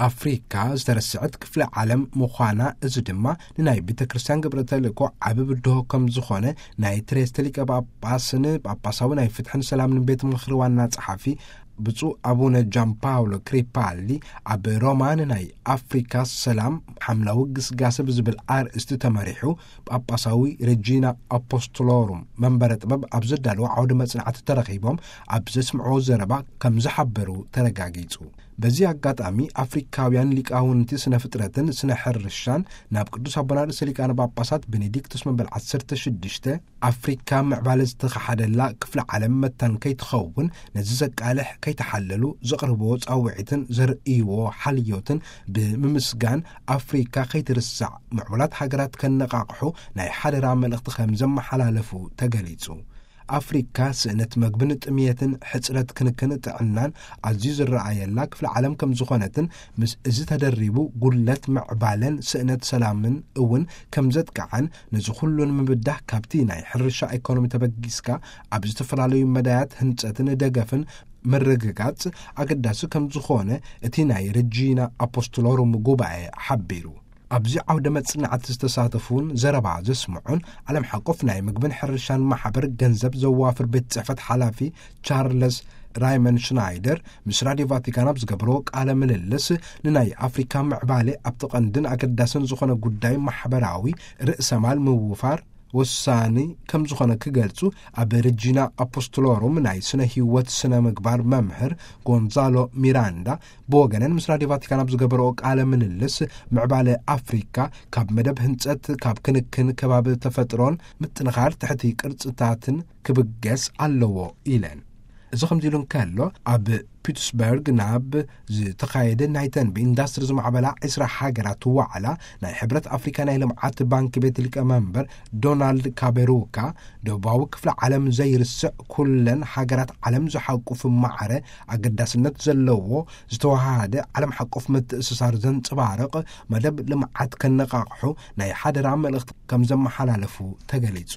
ኣፍሪካ ዝተረስዐት ክፍለ ዓለም ምዃና፣ እዚ ድማ ንናይ ቤተ ክርስቲያን ግብረ ተልእኮ ዓቢ ብድሆ ከም ዝኾነ ናይ ትሬስተ ሊቀ ጳጳስን ጳጳሳዊ ናይ ፍትሕን ሰላምን ቤት ምኽሪ ዋና ጸሓፊ ብፁዕ ኣቡነ ጃን ፓውሎ ክሪፓሊ ኣብ ሮማ ንናይ ኣፍሪካ ሰላም ሓምላዊ ግስጋሰ ብዝብል ኣርእስቲ ተመሪሑ ጳጳሳዊ ረጂና ኣፖስቶሎሩም መንበረ ጥበብ ኣብ ዘዳለዎ ዓውደ መጽናዕቲ ተረኺቦም ኣብ ዘስምዕዎ ዘረባ ከም ዝሓበሩ ተረጋጊጹ። በዚ ኣጋጣሚ ኣፍሪካውያን ሊቃውንቲ ስነ ፍጥረትን ስነ ሕርሻን ናብ ቅዱስ ኣቦና ርእሰ ሊቃነ ጳጳሳት ቤኔዲክቶስ መበል ዓሰርተ ሽዱሽተ ኣፍሪካ ምዕባለ ዝተኻሓደላ ክፍለ ዓለም መታን ከይትኸውን ነዚ ዘቃልሕ ከይተሓለሉ ዘቕርብዎ ጻውዒትን ዘርእይዎ ሓልዮትን ብምምስጋን ኣፍሪካ ከይትርሳዕ ምዕቡላት ሃገራት ከነቓቕሑ ናይ ሓደራ መልእኽቲ ከም ዘመሓላለፉ ተገሊጹ። ኣፍሪካ ስእነት መግብን ጥምየትን ሕጽረት ክንክን ጥዕናን ኣዝዩ ዝረኣየላ ክፍለ ዓለም ከም ዝኾነትን ምስ እዚ ተደሪቡ ጉድለት ምዕባለን ስእነት ሰላምን እውን ከም ዘጥቃዓን ነዚ ኩሉ ንምብዳህ ካብቲ ናይ ሕርሻ ኢኮኖሚ ተበጊስካ ኣብ ዝተፈላለዩ መዳያት ህንጸትን ደገፍን ምርግጋጽ ኣገዳሲ ከም ዝኾነ እቲ ናይ ረጂና ኣፖስቶሎሩም ጉባኤ ሓቢሩ። ኣብዚ ዓውደ መጽናዕቲ ዝተሳተፉን ዘረባ ዘስምዑን ዓለም ሓቆፍ ናይ ምግብን ሕርሻን ማሕበር ገንዘብ ዘዋፍር ቤት ጽሕፈት ሓላፊ ቻርለስ ራይመን ሽናይደር ምስ ራድዮ ቫቲካን ኣብ ዝገበርዎ ቃለ ምልልስ ንናይ ኣፍሪካ ምዕባሌ ኣብቲ ቀንድን ኣገዳስን ዝኾነ ጉዳይ ማሕበራዊ ርእሰማል ምውፋር ወሳኒ ከም ዝኾነ ክገልጹ ኣብ ረጂና ኣፖስቶሎሩም ናይ ስነ ህይወት ስነ ምግባር መምህር ጎንዛሎ ሚራንዳ ብወገነን ምስ ራድዮ ቫቲካን ኣብ ዝገበረኦ ቃለ ምልልስ ምዕባለ ኣፍሪካ ካብ መደብ ህንጸት ካብ ክንክን ከባቢ ተፈጥሮን ምጥንኻር ትሕቲ ቅርጽታትን ክብገስ ኣለዎ ኢለን። እዚ ከምዚ ኢሉ እንከሎ ኣብ ፒትስበርግ ናብ ዝተኻየደ ናይ ተንቢ ኢንዳስትሪ ዝማዕበላ ዕስራ ሃገራት ዋዕላ ናይ ሕብረት ኣፍሪካ ናይ ልምዓት ባንክ ቤት ሊቀመንበር ዶናልድ ካቤሩካ ደቡባዊ ክፍለ ዓለም ዘይርስዕ ኩለን ሃገራት ዓለም ዝሓቁፍ ማዕረ ኣገዳስነት ዘለዎ ዝተወሃሃደ ዓለም ሓቆፍ ምትእስሳር ዘንጸባርቕ መደብ ልምዓት ከነቓቕሑ ናይ ሓደራ መልእኽቲ ከም ዘመሓላለፉ ተገሊጹ።